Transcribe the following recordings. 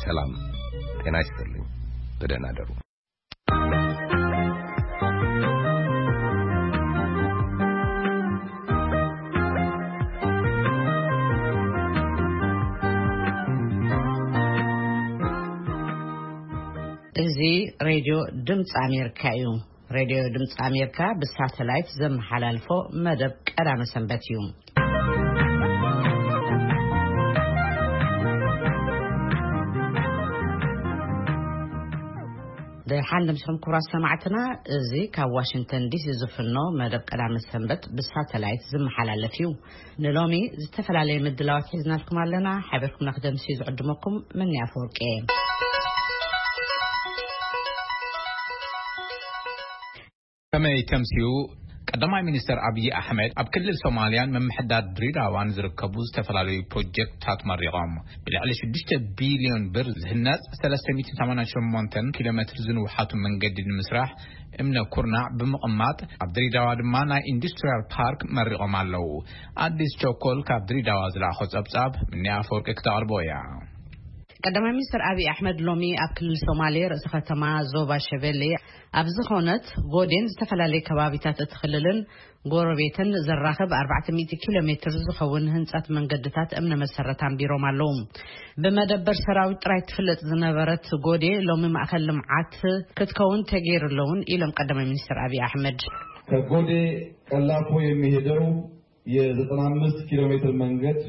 ሰላም ጤና ይስጥልኝ። ብደህና ደሩ። እዚ ሬድዮ ድምፂ ኣሜሪካ እዩ። ሬድዮ ድምፂ ኣሜሪካ ብሳተላይት ዘመሓላልፎ መደብ ቀዳመ ሰንበት እዩ። ደሓን ድምፅኹም ክቡራት ሰማዕትና፣ እዚ ካብ ዋሽንግተን ዲሲ ዝፍኖ መደብ ቀዳመ ሰንበት ብሳተላይት ዝመሓላለፍ እዩ። ንሎሚ ዝተፈላለየ ምድላዋት ሒዝናልኩም ኣለና። ሓቢርኩም ንክደምሲ ዝዕድመኩም ምንያ ኣፈወርቂ እየ። ከመይ ተምስዩ? ቀዳማይ ሚኒስተር ኣብይ ኣሕመድ ኣብ ክልል ሶማልያን ምምሕዳር ድሬዳዋን ዝርከቡ ዝተፈላለዩ ፕሮጀክትታት መሪቖም። ብልዕሊ ሽዱሽተ ቢልዮን ብር ዝህነጽ ሰለስተ ሚእትን ሰማንያን ሸሞንተን ኪሎ ሜትር ዝንውሓቱ መንገዲ ንምስራሕ እምነ ኩርናዕ ብምቕማጥ፣ ኣብ ድሬዳዋ ድማ ናይ ኢንዱስትሪያል ፓርክ መሪቖም ኣለዉ። ኣዲስ ቸኮል ካብ ድሬዳዋ ዝለኣኾ ጸብጻብ ምንያ ኣፈወርቂ ክተቕርቦ እያ። ቀዳማይ ሚኒስትር ኣብይ ኣሕመድ ሎሚ ኣብ ክልል ሶማሌ ርእሰ ከተማ ዞባ ሸበሌ ኣብ ዝኾነት ጎዴን ዝተፈላለዩ ከባቢታት እቲ ክልልን ጎረቤትን ዘራኽብ ኣርባዕተ ሚእቲ ኪሎ ሜትር ዝኸውን ህንጸት መንገድታት እምነ መሰረት ኣንቢሮም ኣለዉ። ብመደበር ሰራዊት ጥራይ ትፍለጥ ዝነበረት ጎዴ ሎሚ ማእከል ልምዓት ክትከውን ተገይሩ ኣለውን ኢሎም ቀዳማይ ሚኒስትር ኣብይ ኣሕመድ። ከጎዴ ቀላፎ የሚሄደው የ ዘጠና አምስት ኪሎ ሜትር መንገድ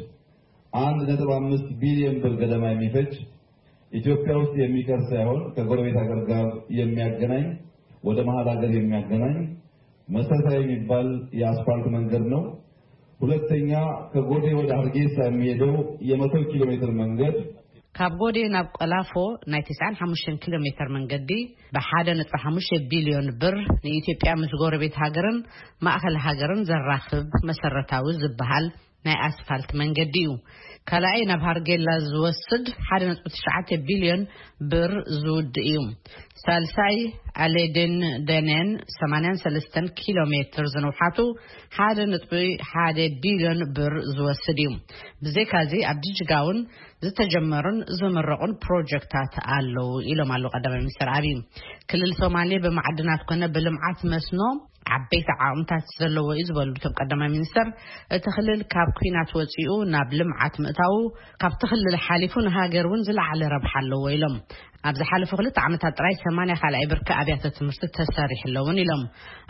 አንድ ነጥብ አምስት ቢሊዮን ብር ገደማ የሚፈጅ ኢትዮጵያ ውስጥ የሚቀር ሳይሆን ከጎረቤት ሀገር ጋር የሚያገናኝ ወደ መሀል ሀገር የሚያገናኝ መሰረታዊ የሚባል የአስፋልት መንገድ ነው። ሁለተኛ ከጎዴ ወደ ሀርጌሳ የሚሄደው የመቶ ኪሎ ሜትር መንገድ ካብ ጎዴ ናብ ቆላፎ ናይ ተስዓን ሓሙሽተን ኪሎ ሜትር መንገዲ ብሓደ ነጥቢ ሓሙሽተ ቢልዮን ብር ንኢትዮጵያ ምስ ጎረቤት ሃገርን ማእኸል ሃገርን ዘራኽብ መሰረታዊ ዝበሃል ናይ ኣስፋልት መንገዲ እዩ። ካልኣይ ናብ ሃርጌላ ዝወስድ ሓደ ነጥቢ ትሽዓተ ቢልዮን ብር ዝውድ እዩ። ሳልሳይ ኣሌዴን ደኔን ሰማንያን ሰለስተን ኪሎ ሜትር ዝንውሓቱ ሓደ ነጥቢ ሓደ ቢልዮን ብር ዝወስድ እዩ። ብዘይካዚ ኣብ ጅጅጋ እውን ዝተጀመሩን ዝምረቑን ፕሮጀክታት ኣለዉ ኢሎም ኣለዉ ቀዳማይ ሚኒስትር ኣብይ። ክልል ሶማሌ ብማዕድናት ኮነ ብልምዓት መስኖ ዓበይቲ ዓቕምታት ዘለዎ እዩ ዝበሉ እቶም ቀዳማይ ሚኒስትር፣ እቲ ክልል ካብ ኲናት ወፂኡ ናብ ልምዓት ምእታዉ ካብቲ ክልል ሓሊፉ ንሃገር እውን ዝለዓለ ረብሓ ኣለዎ ኢሎም። ኣብ ዝሓለፉ ክልተ ዓመታት ጥራይ ሰማንያ ካልኣይ ብርኪ ኣብያተ ትምህርቲ ተሰሪሑ ኣለውን ኢሎም።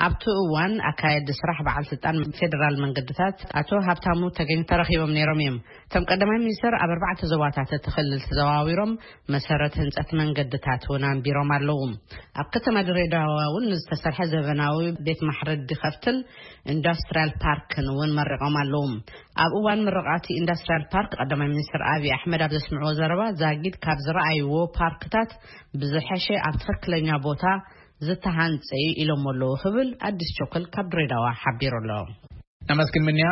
ኣብቲ እዋን ኣካየዲ ስራሕ በዓል ስልጣን ፌዴራል መንገድታት ኣቶ ሃብታሙ ተገኝ ተረኺቦም ነይሮም እዮም። እቶም ቀዳማይ ሚኒስትር ኣብ ኣርባዕተ ዞባታት እቲ ክልል ተዘዋዊሮም መሰረት ህንፀት መንገድታት እውን ኣንቢሮም ኣለዉ። ኣብ ከተማ ድሬዳዋ እውን ዝተሰርሐ ዘበናዊ ቤት ማሕረዲ ከፍትን ኢንዱስትሪያል ፓርክን እውን መሪቖም ኣለዉ። ኣብ እዋን ምርቓት ኢንዱስትሪያል ፓርክ ቀዳማይ ሚኒስትር ኣብይ ኣሕመድ ኣብ ዘስምዕዎ ዘረባ ዛጊድ ካብ ዝረኣይዎ ፓርክታት ብዝሐሸ ኣብ ትኽክለኛ ቦታ ዝተሃንጸ እዩ ኢሎም ኣለዉ ክብል ኣዲስ ቸኮል ካብ ድሬዳዋ ሓቢሩ ኣሎ። ነመስግን ምንያ።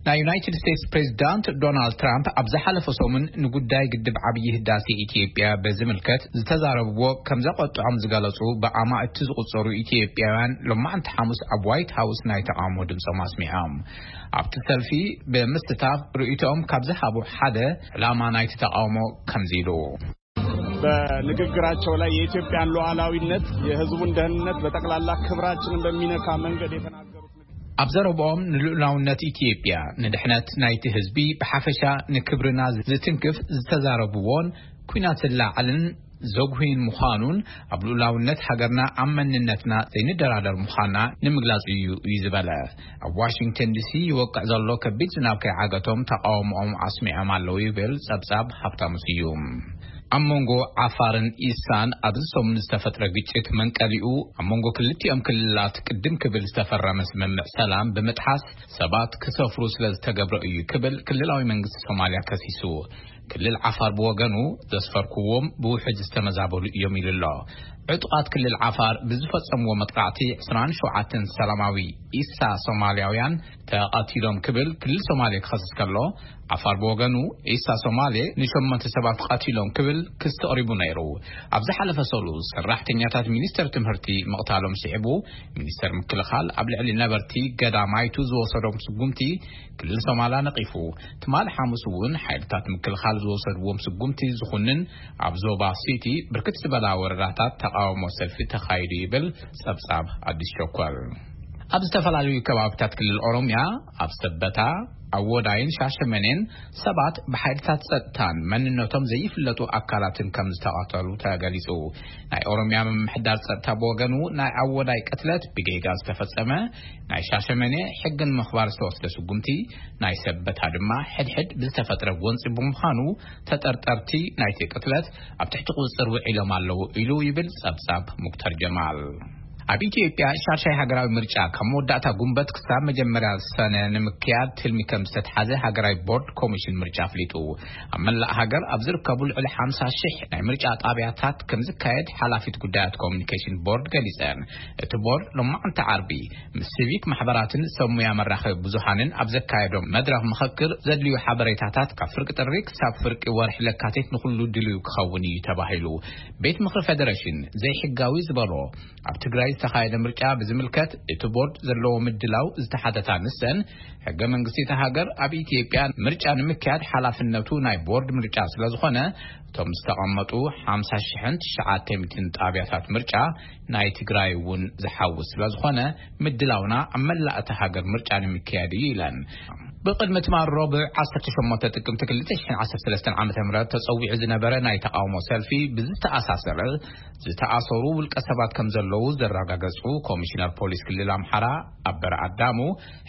ናይ ዩናይትድ ስቴትስ ፕሬዚዳንት ዶናልድ ትራምፕ ኣብ ዝሓለፈ ሰሙን ንጉዳይ ግድብ ዓብዪ ህዳሴ ኢትዮጵያ በዝምልከት ዝተዛረብዎ ከም ዘቆጥዖም ዝገለጹ ብኣማእቲ ዝቑጸሩ ኢትዮጵያውያን ሎማዕንቲ ሓሙስ ኣብ ዋይት ሃውስ ናይ ተቓውሞ ድምጾም ኣስሚዖም። ኣብቲ ሰልፊ ብምስታፍ ርእይቶኦም ካብ ዝሃቡ ሓደ ዕላማ ናይቲ ተቓውሞ ከምዚ ኢሉ። በንግግራቸው ላይ የኢትዮጵያን ሉዓላዊነት፣ የህዝቡን ደህንነት፣ በጠቅላላ ክብራችንን በሚነካ መንገድ የተናገሩት ንግግር። ኣብ ዘረብኦም ንልኡላውነት ኢትዮጵያ፣ ንድሕነት ናይቲ ህዝቢ ብሓፈሻ ንክብርና ዝትንክፍ ዝተዛረብዎን ኲናት ዝለዓልን ዘጉህይን ምዃኑን ኣብ ልኡላውነት ሃገርና ኣብ መንነትና ዘይንደራደር ምዃና ንምግላጽ እዩ እዩ ዝበለ። ኣብ ዋሽንግተን ዲሲ ይወቅዕ ዘሎ ከቢድ ዝናብ ከይዓገቶም ተቃውሞኦም ኣስሚዖም ኣለዉ ይብል ጸብጻብ ሃብታሙ ስዩም። ኣብ መንጎ ዓፋርን ኢሳን ኣብዚ ሰሙን ዝተፈጥረ ግጭት መንቀሊኡ ኣብ መንጎ ክልቲኦም ክልላት ቅድም ክብል ዝተፈረመ ስምምዕ ሰላም ብምጥሓስ ሰባት ክሰፍሩ ስለ ዝተገብረ እዩ ክብል ክልላዊ መንግስቲ ሶማልያ ከሲሱ። ክልል ዓፋር ብወገኑ ዘስፈርኩዎም ብውሕጅ ዝተመዛበሉ እዮም ኢሉ ኣሎ። ዕጡቓት ክልል ዓፋር ብዝፈጸምዎ መጥቃዕቲ ዕስራን ሸውዓተን ሰላማዊ ኢሳ ሶማልያውያን ተቐቲሎም ክብል ክልል ሶማሌ ክኸስስ ከሎ፣ ዓፋር ብወገኑ፣ ኢሳ ሶማሌ ንሸሞንተ ሰባት ቀቲሎም ክብል ክሲ ኣቕሪቡ ነይሩ። ኣብ ዝሓለፈ ሰሉስ፣ ሰራሕተኛታት ሚኒስተር ትምህርቲ ምቕታሎም ስዒቡ፣ ሚኒስተር ምክልኻል ኣብ ልዕሊ ነበርቲ ገዳማይቱ ዝወሰዶም ስጉምቲ ክልል ሶማላ ነቒፉ። ትማል ሓሙስ እውን ሓይልታት ምክልኻል ዝወሰድዎም ስጉምቲ ዝኹንን ኣብ ዞባ ሲቲ ብርክት ዝበላ ወረዳታት ተቓውሞ ሰልፊ ተኻይዱ ይብል ጸብጻብ ኣዲስ ሸኮር። ኣብ ዝተፈላለዩ ከባብታት ክልል ኦሮምያ፣ ኣብ ሰበታ፣ ኣወዳይን ሻሸመኔን ሰባት ብሓይልታት ጸጥታን መንነቶም ዘይፍለጡ ኣካላትን ከም ዝተቐተሉ ተገሊጹ። ናይ ኦሮምያ ምምሕዳር ጸጥታ ብወገኑ፣ ናይ ኣወዳይ ቅትለት ብጌጋ ዝተፈጸመ፣ ናይ ሻሸመኔ ሕግን ምኽባር ዝተወስደ ስጉምቲ፣ ናይ ሰበታ ድማ ሕድሕድ ብዝተፈጥረ ጎንጺ ብምዃኑ፣ ተጠርጠርቲ ናይቲ ቅትለት ኣብ ትሕቲ ቁጽጽር ውዒሎም ኣለዉ ኢሉ ይብል ጸብጻብ ሙክተር ጀማል። ኣብ ኢትዮጵያ ሻሻይ ሃገራዊ ምርጫ ካብ መወዳእታ ጉንበት ክሳብ መጀመርያ ሰነ ንምክያድ ትልሚ ከም ዝተትሓዘ ሃገራዊ ቦርድ ኮሚሽን ምርጫ ኣፍሊጡ። ኣብ መላእ ሃገር ኣብ ዝርከቡ ልዕሊ ሓምሳ ሽሕ ናይ ምርጫ ጣብያታት ከም ዝካየድ ሓላፊት ጉዳያት ኮሚኒኬሽን ቦርድ ገሊጸን። እቲ ቦርድ ሎማዕንቲ ዓርቢ ምስ ሲቪክ ማሕበራትን ሰብ ሙያ መራኸቢ ብዙሃንን ኣብ ዘካየዶም መድረኽ ምኽክር፣ ዘድልዩ ሓበሬታታት ካብ ፍርቂ ጥሪ ክሳብ ፍርቂ ወርሒ ለካቲት ንኹሉ ድልዩ ክኸውን እዩ ተባሂሉ። ቤት ምኽሪ ፌደሬሽን ዘይሕጋዊ ዝበሎ ኣብ ትግራይ ዝተኻየደ ምርጫ ብዝምልከት፣ እቲ ቦርድ ዘለዎ ምድላው ዝተሓተታ ንሰን፣ ሕገ መንግስቲ እታ ሃገር ኣብ ኢትዮጵያ ምርጫ ንምክያድ ሓላፍነቱ ናይ ቦርድ ምርጫ ስለ ዝኾነ፣ እቶም ዝተቐመጡ ሓምሳ ሽሕን ትሽዓተ ሚእትን ጣብያታት ምርጫ ናይ ትግራይ እውን ዝሓውስ ስለ ዝኾነ፣ ምድላውና ኣብ መላእ እታ ሃገር ምርጫ ንምክያድ እዩ ኢለን። ብቕድሚ ትማል ረቡዕ ዓሰርተ ሸሞንተ ጥቅምቲ ክልተ ሽሕን ዓሰርተ ሰለስተን ዓመተ ምህረት ተጸዊዑ ዝነበረ ናይ ተቓውሞ ሰልፊ ብዝተኣሳሰረ ዝተኣሰሩ ውልቀ ሰባት ከም ዘለዉ ዘረጋገጹ ኮሚሽነር ፖሊስ ክልል ኣምሓራ ኣበር ኣዳሙ፣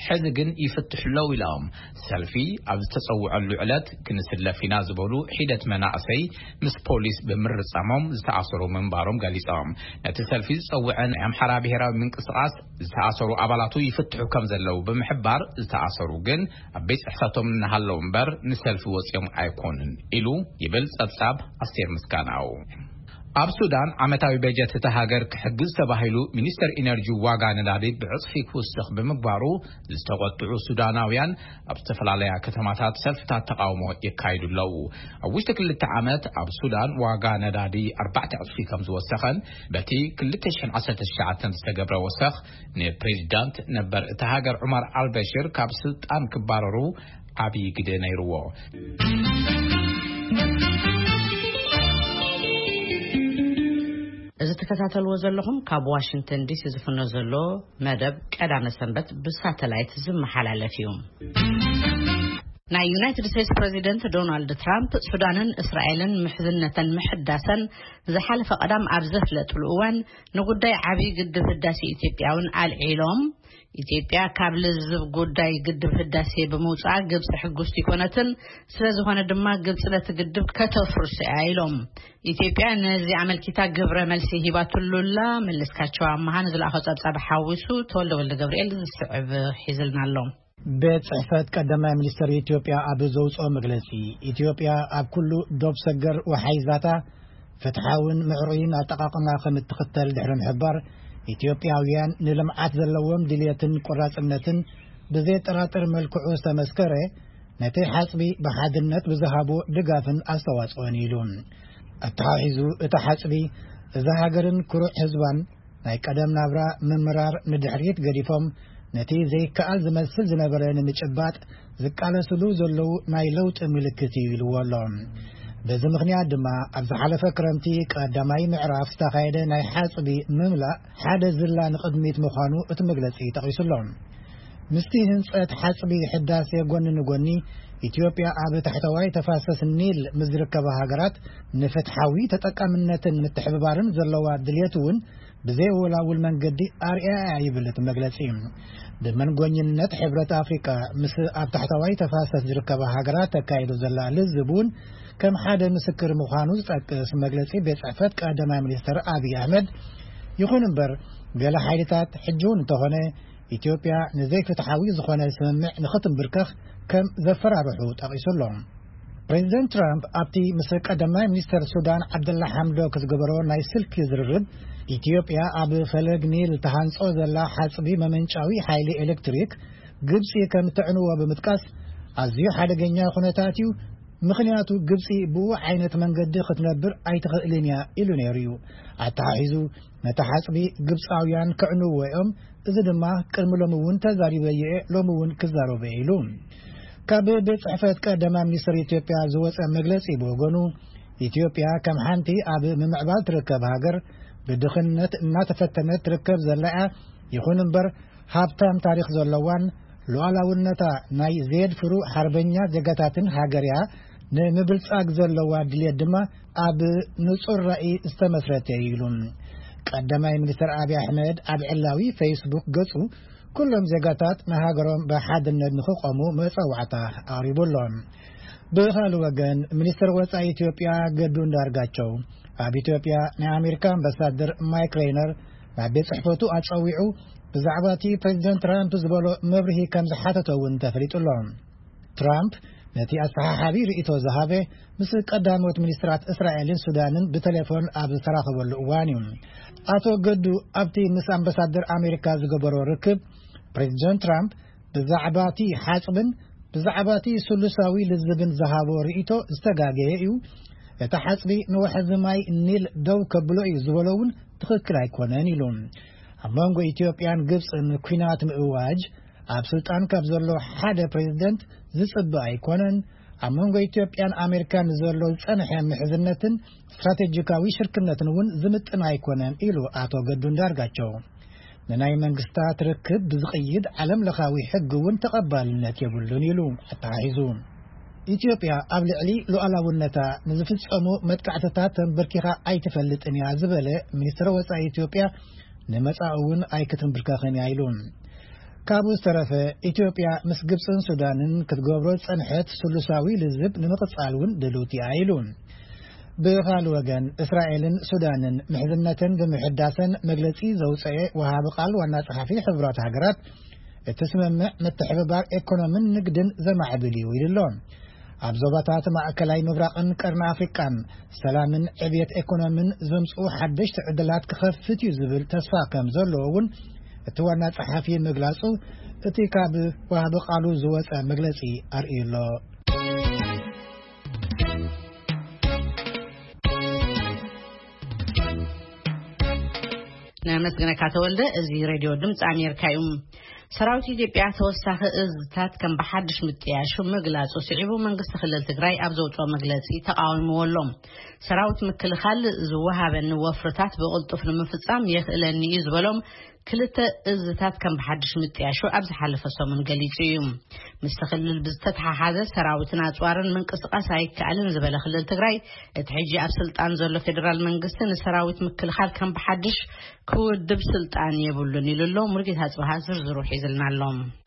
ሕዚ ግን ይፍትሑ ኣለዉ ኢሎም። ሰልፊ ኣብ ዝተጸውዐሉ ዕለት ክንስለፍ ኢና ዝበሉ ሒደት መናእሰይ ምስ ፖሊስ ብምርጻሞም ዝተኣሰሩ ምንባሮም ገሊጾም። ነቲ ሰልፊ ዝጸውዐ ናይ ኣምሓራ ብሔራዊ ምንቅስቓስ ዝተኣሰሩ ኣባላቱ ይፍትሑ ከም ዘለዉ ብምሕባር፣ ዝተኣሰሩ ግን ኣብ ቤት ጽሕፈቶም እናሃለዉ እምበር ንሰልፊ ወጺኦም ኣይኮኑን ኢሉ ይብል ጸብጻብ ኣስቴር ምስጋናው። ኣብ ሱዳን ዓመታዊ በጀት እታ ሃገር ክሕግዝ ተባሂሉ ሚኒስተር ኢነርጂ ዋጋ ነዳዲ ብዕጽፊ ክውስኽ ብምግባሩ ዝተቖጥዑ ሱዳናውያን ኣብ ዝተፈላለያ ከተማታት ሰልፍታት ተቓውሞ የካይዱ ኣለዉ። ኣብ ውሽጢ ክልተ ዓመት ኣብ ሱዳን ዋጋ ነዳዲ ኣርባዕተ ዕጽፊ ከም ዝወሰኸን በቲ ክልተ ሽሕን ዓሰርተ ትሽዓተን ዝተገብረ ወሰኽ ንፕሬዚዳንት ነበር እታ ሃገር ዑመር ኣልበሽር ካብ ስልጣን ክባረሩ ዓብዪ ግደ ነይርዎ። እዚ ትከታተልዎ ዘለኹም ካብ ዋሽንግተን ዲሲ ዝፍኖ ዘሎ መደብ ቀዳመ ሰንበት ብሳተላይት ዝመሓላለፍ እዩ። ናይ ዩናይትድ ስቴትስ ፕሬዚደንት ዶናልድ ትራምፕ ሱዳንን እስራኤልን ምሕዝነተን ምሕዳሰን ዝሓለፈ ቀዳም ኣብ ዘፍለጥሉ እዋን፣ ንጉዳይ ዓብዪ ግድብ ህዳሴ ኢትዮጵያ እውን ኣልዒሎም። ኢትዮጵያ ካብ ልዝብ ጉዳይ ግድብ ህዳሴ ብምውፃኣ ግብፂ ሕጉስቲ ኣይኮነትን፣ ስለ ዝኾነ ድማ ግብፂ ነቲ ግድብ ከተፍርሶ እያ ኢሎም። ኢትዮጵያ ነዚ ኣመልኪታ ግብረ መልሲ ሂባትሉ ኣላ። መለስካቸው ኣመሃ ንዝለኣኾ ፀብፃብ ሓዊሱ ተወልደ ወልደ ገብርኤል ዝስዕብ ሒዝልና ኣሎ። ቤት ጽሕፈት ቀዳማይ ሚኒስትር ኢትዮጵያ ኣብ ዘውጽኦ መግለጺ፣ ኢትዮጵያ ኣብ ኩሉ ዶብ ሰገር ወሓይዛታ ፍትሓውን ምዕሩይን ኣጠቓቕማ ከም እትኽተል ድሕሪ ምሕባር፣ ኢትዮጵያውያን ንልምዓት ዘለዎም ድልየትን ቆራጽነትን ብዘየጠራጥር መልክዑ ዝተመስከረ፣ ነቲ ሓጽቢ ብሓድነት ብዝሃቦ ድጋፍን ኣስተዋጽኦን ኢሉ። ኣተሓሒዙ፣ እቲ ሓጽቢ እዛ ሃገርን ኩሩዕ ህዝባን ናይ ቀደም ናብራ ምምራር ንድሕሪት ገዲፎም፣ ነቲ ዘይከኣል ዝመስል ዝነበረ ንምጭባጥ ዝቃለስሉ ዘለዉ ናይ ለውጢ ምልክት እዩ ኢልዎ ኣሎ። በዚ ምኽንያት ድማ፣ ኣብ ዝሓለፈ ክረምቲ ቀዳማይ ምዕራፍ ዝተኻየደ ናይ ሓጽቢ ምምላእ ሓደ ዝላ ንቕድሚት ምዃኑ እቲ መግለጺ ጠቒሱ ኣሎ። ምስቲ ህንጸት ሓጽቢ ሕዳሴ ጎኒ ንጎኒ፣ ኢትዮጵያ ኣብ ታሕተዋይ ተፋሰስ ኒል ምስ ዝርከባ ሃገራት ንፍትሓዊ ተጠቃምነትን ምትሕብባርን ዘለዋ ድልየት እውን ብዘየወላውል መንገዲ ኣርኣያ ይብል እቲ መግለጺ። ብመንጎኝነት ሕብረት ኣፍሪቃ ምስ ኣብ ታሕተዋይ ተፋሰስ ዝርከባ ሃገራት ተካይዶ ዘላ ልዝብ እውን ከም ሓደ ምስክር ምዃኑ ዝጠቅስ መግለጺ ቤት ጽሕፈት ቀዳማይ ሚኒስትር ኣብይ ኣሕመድ፣ ይኹን እምበር፣ ገለ ሓይልታት ሕጂ እውን እንተኾነ ኢትዮጵያ ንዘይፍትሓዊ ዝኾነ ስምምዕ ንኽትምብርከኽ ከም ዘፈራርሑ ጠቒሱ ኣሎ። ፕሬዚደንት ትራምፕ ኣብቲ ምስ ቀዳማይ ሚኒስተር ሱዳን ዓብደላ ሓምዶክ ዝገበሮ ናይ ስልኪ ዝርርብ፣ ኢትዮጵያ ኣብ ፈለግ ኒል ተሃንጾ ዘላ ሓጽቢ መመንጫዊ ሓይሊ ኤሌክትሪክ ግብጺ ከም ተዕንዎ ብምጥቃስ፣ ኣዝዩ ሓደገኛ ኩነታት እዩ፣ ምኽንያቱ ግብጺ ብኡ ዓይነት መንገዲ ክትነብር ኣይትኽእልን እያ ኢሉ ነይሩ እዩ። ኣተሓሒዙ፣ ነቲ ሓጽቢ ግብጻውያን ክዕንዎ እዮም፣ እዚ ድማ ቅድሚ ሎሚ እውን ተዛሪበዮ እየ፣ ሎሚ እውን ክዛረቦ እየ ኢሉ። ካብ ቤት ጽሕፈት ቀዳማይ ሚኒስትር ኢትዮጵያ ዝወጸ መግለጺ ብወገኑ፣ ኢትዮጵያ ከም ሓንቲ ኣብ ምምዕባል ትርከብ ሃገር ብድኽነት እናተፈተነት ትርከብ ዘላ እያ። ይኹን እምበር፣ ሃብታም ታሪኽ ዘለዋን ሉዓላውነታ ናይ ዘየድፍሩ ሓርበኛ ዜጋታትን ሃገር እያ። ንምብልጻግ ዘለዋ ድልየት ድማ ኣብ ንጹር ራእይ ዝተመስረተ እዩ ኢሉ። ቀዳማይ ሚኒስትር ኣብይ ኣሕመድ ኣብ ዕላዊ ፌስቡክ ገጹ፣ ኩሎም ዜጋታት ንሃገሮም ብሓድነት ንኽቆሙ መጸዋዕታ ኣቕሪቡ ኣሎ። ብኻልእ ወገን፣ ሚኒስትር ወጻኢ ኢትዮጵያ ገዱ እንዳርጋቸው ኣብ ኢትዮጵያ ናይ ኣሜሪካ ኣምባሳደር ማይክ ሬይነር ናብ ቤት ጽሕፈቱ ኣጸዊዑ፣ ብዛዕባ እቲ ፕሬዚደንት ትራምፕ ዝበሎ መብርሂ ከም ዝሓተቶ እውን ተፈሊጡ ኣሎ። ትራምፕ ነቲ ኣሰሓሓቢ ርእይቶ ዝሃበ ምስ ቀዳሞት ሚኒስትራት እስራኤልን ሱዳንን ብቴሌፎን ኣብ ዝተራኸበሉ እዋን እዩ። ኣቶ ገዱ ኣብቲ ምስ ኣምባሳደር ኣሜሪካ ዝገበሮ ርክብ፣ ፕሬዚደንት ትራምፕ ብዛዕባ እቲ ሓጽብን ብዛዕባ እቲ ስሉሳዊ ልዝብን ዝሃቦ ርእይቶ ዝተጋገየ እዩ። እቲ ሓጽቢ ንወሕዚ ማይ ኒል ደው ከብሎ እዩ ዝበሎ እውን ትኽክል ኣይኮነን ኢሉ። ኣብ መንጎ ኢትዮጵያን ግብጽን ኲናት ምእዋጅ ኣብ ስልጣን ካብ ዘሎ ሓደ ፕሬዚደንት ዝጽበ ኣይኮነን። ኣብ መንጎ ኢትዮጵያን ኣሜሪካን ዘሎ ዝጸንሐ ምሕዝነትን ስትራቴጂካዊ ሽርክነትን እውን ዝምጥን ኣይኮነን ኢሉ ኣቶ ገዱ እንዳርጋቸው። ንናይ መንግስታት ርክብ ብዝቕይድ ዓለም ለኻዊ ሕጊ እውን ተቐባልነት የብሉን ኢሉ ኣተሓሒዙ። ኢትዮጵያ ኣብ ልዕሊ ሉዓላውነታ ንዝፍጸሙ መጥቃዕትታት ተንበርኪኻ ኣይትፈልጥን እያ ዝበለ ሚኒስትር ወጻኢ ኢትዮጵያ፣ ንመጻኢ እውን ኣይክትንብርከኽን እያ ኢሉ። ካብኡ ዝተረፈ፣ ኢትዮጵያ ምስ ግብጽን ሱዳንን ክትገብሮ ዝጸንሐት ስሉሳዊ ልዝብ ንምቕጻል እውን ድልውቲ እያ ኢሉ። ብኻልእ ወገን፣ እስራኤልን ሱዳንን ምሕዝነተን ብምሕዳሰን መግለጺ ዘውጸኤ ወሃቢ ቃል ዋና ጸሓፊ ሕቡራት ሃገራት፣ እቲ ስምምዕ ምትሕብባር ኤኮኖምን ንግድን ዘማዕብል እዩ ኢሉ ኣሎ። ኣብ ዞባታት ማእከላይ ምብራቕን ቀርኒ ኣፍሪቃን ሰላምን ዕብየት ኤኮኖምን ዘምጽኡ ሓደሽቲ ዕድላት ክኸፍት እዩ ዝብል ተስፋ ከም ዘለዎ እውን እቲ ዋና ጸሓፊ ምግላጹ፣ እቲ ካብ ወሃቢ ቃሉ ዝወጸ መግለጺ ኣርእዩ ኣሎ። ነመስግነካ ተወልደ። እዚ ሬድዮ ድምፂ ኣሜሪካ እዩ። ሰራዊት ኢትዮጵያ ተወሳኺ እዝታት ከም ብሓድሽ ምጥያሹ ምግላጹ ስዒቡ፣ መንግስቲ ክልል ትግራይ ኣብ ዘውፅኦ መግለፂ ተቃዊምዎ ኣሎ። ሰራዊት ምክልኻል ዝወሃበኒ ወፍርታት ብቕልጡፍ ንምፍጻም የኽእለኒ እዩ ዝበሎም ክልተ እዝታት ከም ብሓድሽ ምጥያሹ ኣብ ዝሓለፈ ሰሙን ገሊጹ እዩ። ምስቲ ክልል ብዝተተሓሓዘ፣ ሰራዊትን ኣጽዋርን ምንቅስቃስ ኣይከኣልን ዝበለ ክልል ትግራይ፣ እቲ ሕጂ ኣብ ስልጣን ዘሎ ፌደራል መንግስቲ ንሰራዊት ምክልኻል ከም ብሓድሽ ክውድብ ስልጣን የብሉን ኢሉ ኣሎ። ሙሉጌታ ጽባሃ ዝርዝሩ ሒዝልና ኣሎ።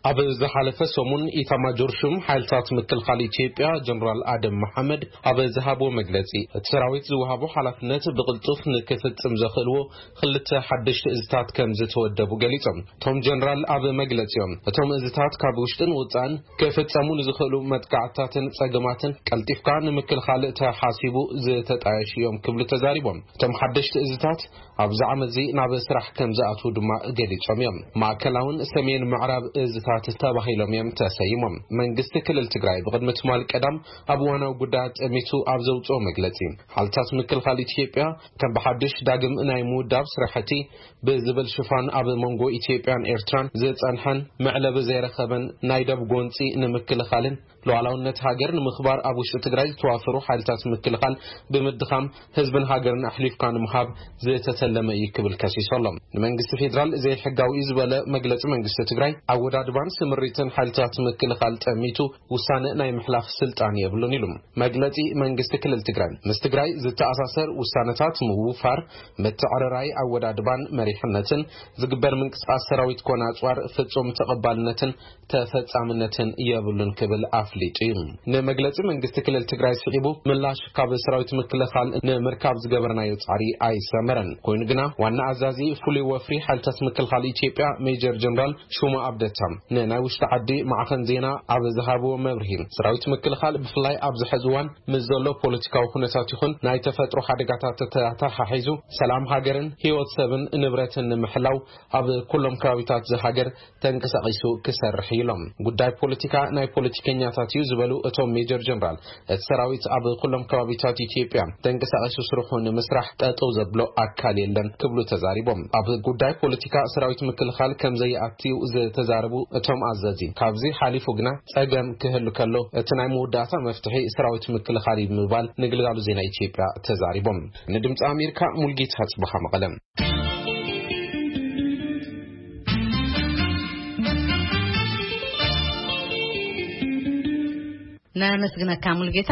ኣብ ዝሓለፈ ሰሙን፣ ኢታማጆር ሹም ሓይልታት ምክልኻል ኢትዮጵያ ጀነራል ኣደም መሓመድ ኣብ ዝሃቦ መግለጺ፣ እቲ ሰራዊት ዝወሃቦ ሓላፍነት ብቕልጡፍ ንክፍጽም ዘኽእልዎ ክልተ ሓደሽቲ እዝታት ከም ዝተወደቡ ገሊጾም። እቶም ጀነራል ኣብ መግለጺኦም፣ እቶም እዝታት ካብ ውሽጥን ውጻእን ክፍጸሙ ንዝኽእሉ መጥቃዕትታትን ጸገማትን ቀልጢፍካ ንምክልኻል ተሓሲቡ ዝተጣየሹ እዮም ክብሉ ተዛሪቦም። እቶም ሓደሽቲ እዝታት ኣብዚ ዓመት እዚ ናብ ስራሕ ከም ዝኣትዉ ድማ ገሊጾም እዮም። ማእከላውን ሰሜን ምዕራብ እዝታት ተባሂሎም እዮም ተሰይሞም። መንግስቲ ክልል ትግራይ ብቕድሚ ትማል ቀዳም ኣብ እዋናዊ ጉዳያት ጠሚቱ ኣብ ዘውፅኦ መግለጺ፣ ሓይልታት ምክልኻል ኢትዮጵያ ከም ብሓድሽ ዳግም ናይ ምውዳብ ስራሕቲ ብዝብል ሽፋን ኣብ መንጎ ኢትዮጵያን ኤርትራን ዝጸንሐን መዕለቢ ዘይረኸበን ናይ ደብ ጎንጺ ንምክልኻልን ሉዓላውነት ሃገር ንምኽባር ኣብ ውሽጢ ትግራይ ዝተዋፈሩ ሓይልታት ምክልኻል ብምድኻም ህዝብን ሃገርን ኣሕሊፍካ ንምሃብ ዝተተለመ እዩ ክብል ከሲሱ ኣሎ። ንመንግስቲ ፌዴራል ዘይሕጋዊ እዩ ዝበለ መግለጺ መንግስቲ ትግራይ፣ ኣወዳድባን ስምሪትን ሓይልታት ምክልኻል ጠሚቱ ውሳነ ናይ ምሕላፍ ስልጣን የብሉን ኢሉ። መግለጺ መንግስቲ ክልል ትግራይ፣ ምስ ትግራይ ዝተኣሳሰር ውሳነታት ምውፋር፣ ምትዕርራይ ኣወዳድባን መሪሕነትን፣ ዝግበር ምንቅስቃስ ሰራዊት ኮነ ኣጽዋር ፍጹም ተቐባልነትን ተፈጻምነትን የብሉን ክብል ኣፍሊጡ እዩ። ንመግለጺ መንግስቲ ክልል ትግራይ ስዒቡ ምላሽ ካብ ሰራዊት ምክልኻል ንምርካብ ዝገበርናዮ ጻዕሪ ኣይሰመረን። ኮይኑ ግና ዋና ኣዛዚ ፍሉይ ወፍሪ ሓይልታት ምክልኻል ኢትዮጵያ ሜጀር ጀነራል ሹማ ኣብደታ ንናይ ውሽጢ ዓዲ ማዕኸን ዜና ኣብ ዝሃብዎ መብርሂ፣ ሰራዊት ምክልኻል ብፍላይ ኣብዚ ሕዚ እዋን ምስ ዘሎ ፖለቲካዊ ኩነታት ይኹን ናይ ተፈጥሮ ሓደጋታት ተተሓሒዙ ሰላም ሃገርን ህይወት ሰብን ንብረትን ንምሕላው ኣብ ኩሎም ከባቢታት ዝሃገር ተንቀሳቒሱ ክሰርሕ እዩ ኢሎም። ጉዳይ ፖለቲካ ናይ ፖለቲከኛታት እዩ ዝበሉ እቶም ሜጀር ጀነራል፣ እቲ ሰራዊት ኣብ ኩሎም ከባቢታት ኢትዮጵያ ተንቀሳቒሱ ስርሑ ንምስራሕ ጠጠው ዘብሎ ኣካል የለን ክብሉ ተዛሪቦም። ኣብ ጉዳይ ፖለቲካ ሰራዊት ምክልኻል ከም ዘይኣትዩ ዝተዛረቡ እቶም ኣዘዚ፣ ካብዚ ሓሊፉ ግና ጸገም ክህሉ ከሎ እቲ ናይ መወዳእታ መፍትሒ ሰራዊት ምክልኻል እዩ ብምባል ንግልጋሉ ዜና ኢትዮጵያ ተዛሪቦም። ንድምፂ ኣሜሪካ ሙልጌታ ጽቡኻ መቐለም። ነመስግነካ ሙልጌታ።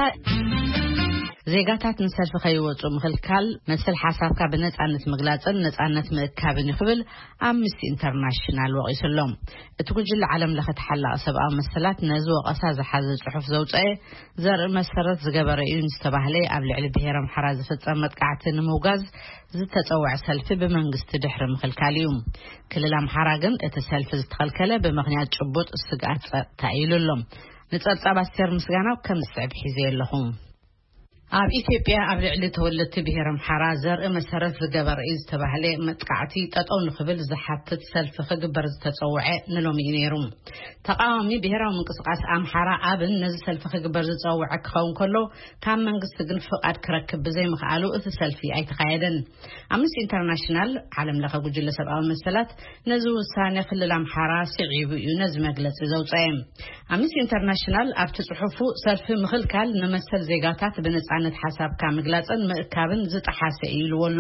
ዜጋታት ንሰልፊ ከይወፁ ምኽልካል መሰል ሓሳብካ ብነፃነት ምግላፅን ነፃነት ምእካብን እዩ ክብል ኣምነስቲ ኢንተርናሽናል ወቒሱ ኣሎ። እቲ ጉጅለ ዓለም ለኸ ተሓላቒ ሰብኣዊ መሰላት ነዚ ወቐሳ ዝሓዘ ፅሑፍ ዘውፀአ ዘርኢ መሰረት ዝገበረ እዩ ዝተባህለ ኣብ ልዕሊ ብሄር ኣምሓራ ዝፍፀም መጥቃዕቲ ንምውጋዝ ዝተፀውዐ ሰልፊ ብመንግስቲ ድሕሪ ምኽልካል እዩ። ክልል ኣምሓራ ግን እቲ ሰልፊ ዝተኸልከለ ብምኽንያት ጭቡጥ ስግኣት ፀጥታ እዩ ኢሉ ኣሎ። ንፀብፃብ ኣስቴር ምስጋናው ከም ዝስዕብ ሒዘ ኣለኹ። ኣብ ኢትዮጵያ ኣብ ልዕሊ ተወለድቲ ብሄር ኣምሓራ ዘርኢ መሰረት ዝገበረ እዩ ዝተባህለ መጥቃዕቲ ጠጠው ንኽብል ዝሓትት ሰልፊ ክግበር ዝተፀውዐ ንሎሚ እዩ ነይሩ። ተቃዋሚ ብሄራዊ ምንቅስቃስ ኣምሓራ ኣብን ነዚ ሰልፊ ክግበር ዝፀውዐ ክኸውን ከሎ፣ ካብ መንግስቲ ግን ፍቓድ ክረክብ ብዘይምኽኣሉ እቲ ሰልፊ ኣይተኻየደን። ኣምነስቲ ኢንተርናሽናል፣ ዓለም ለኸ ጉጅለ ሰብኣዊ መሰላት፣ ነዚ ውሳነ ክልል ኣምሓራ ስዒቡ እዩ ነዚ መግለፂ ዘውፀአ። ኣምነስቲ ኢንተርናሽናል ኣብቲ ጽሑፉ፣ ሰልፊ ምኽልካል ንመሰል ዜጋታት ብነጻነት ሓሳብካ ምግላጽን ምእካብን ዝጠሓሰ እዩ ኢልዎ ኣሎ።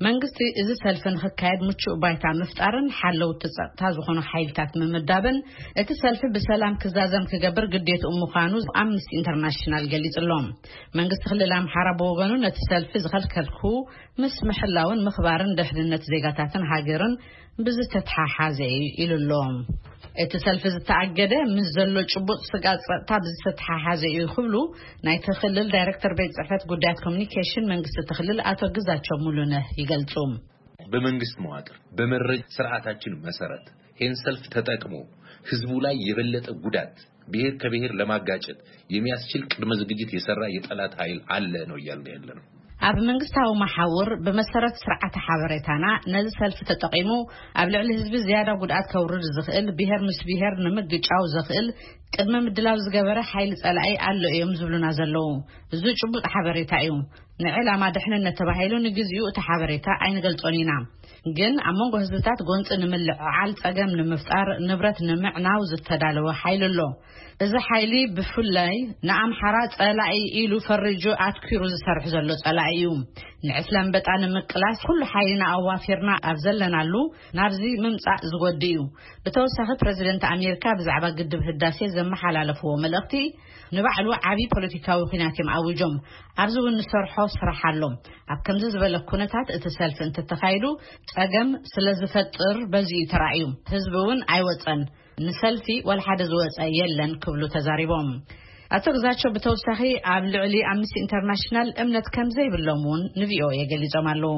መንግስቲ እዚ ሰልፊ ንኽካየድ ምቹእ ባይታ ምፍጣርን ሓለውቲ ጸጥታ ዝኾኑ ሓይልታት ምምዳብን እቲ ሰልፊ ብሰላም ክዛዘም ክገብር ግዴትኡ ምዃኑ ኣምነስቲ ኢንተርናሽናል ገሊጹ ኣሎ። መንግስቲ ክልል ኣምሓራ ብወገኑ ነቲ ሰልፊ ዝኸልከልኩ ምስ ምሕላውን ምኽባርን ደሕንነት ዜጋታትን ሃገርን ብዝተተሓሓዘ እዩ ኢሉ ኣሎ። እቲ ሰልፊ ዝተኣገደ ምስ ዘሎ ጭቡጥ ስግኣት ጸጥታ ብዝተተሓሓዘ እዩ ክብሉ ናይቲ ክልል ዳይሬክተር ቤት ጽሕፈት ጉዳያት ኮሚኒኬሽን መንግስቲ እቲ ክልል ኣቶ ግዛቸው ሙሉነህ ይገልጹ። በመንግስት መዋቅር በመረጃ ስርዓታችን መሰረት ይህን ሰልፍ ተጠቅሞ ህዝቡ ላይ የበለጠ ጉዳት ብሔር ከብሔር ለማጋጨት የሚያስችል ቅድመ ዝግጅት የሰራ የጠላት ኃይል አለ ነው እያልን ያለ ነው። ኣብ መንግስታዊ መሓውር ብመሰረት ስርዓተ ሓበሬታና ነዚ ሰልፊ ተጠቒሙ ኣብ ልዕሊ ህዝቢ ዝያዳ ጉድኣት ከውርድ ዝኽእል ብሔር ምስ ብሔር ንምግጫው ዘኽእል ቅድመ ምድላው ዝገበረ ሓይሊ ጸላኢ ኣሎ እዮም ዝብሉና ዘለዉ። እዚ ጭቡጥ ሓበሬታ እዩ። ንዕላማ ድሕንነት ተባሂሉ ንግዚኡ እቲ ሓበሬታ ኣይንገልጾን ኢና። ግን ኣብ መንጎ ህዝብታት ጎንፂ ንምልዕዓል ጸገም ንምፍጣር ንብረት ንምዕናው ዝተዳለወ ሓይሊ ኣሎ። እዚ ሓይሊ ብፍላይ ንኣምሓራ ጸላኢ ኢሉ ፈሪጁ ኣትኪሩ ዝሰርሕ ዘሎ ጸላኢ እዩ። ንዕስለ ኣንበጣ ንምቅላስ ኩሉ ሓይልና ኣዋፊርና ኣብ ዘለናሉ ናብዚ ምምጻእ ዝጎዲ እዩ። ብተወሳኺ ፕረዚደንት ኣሜሪካ ብዛዕባ ግድብ ህዳሴ ዘመሓላለፍዎ መልእኽቲ ንባዕሉ ዓብዪ ፖለቲካዊ ኲናት እዮም ኣዊጆም። ኣብዚ እውን ንሰርሖ ስራሕ ኣሎ። ኣብ ከምዚ ዝበለ ኩነታት እቲ ሰልፊ እንተተኻይዱ ጸገም ስለ ዝፈጥር በዚ እዩ ተራእዩ። ህዝቢ እውን ኣይወጸን። ንሰልፊ ዋላ ሓደ ዝወጸ የለን ክብሉ ተዛሪቦም። ኣቶ ግዛቸው ብተወሳኺ ኣብ ልዕሊ ኣምነስቲ ኢንተርናሽናል እምነት ከም ዘይብሎም እውን ንቪኦኤ ገሊጾም ኣለዉ።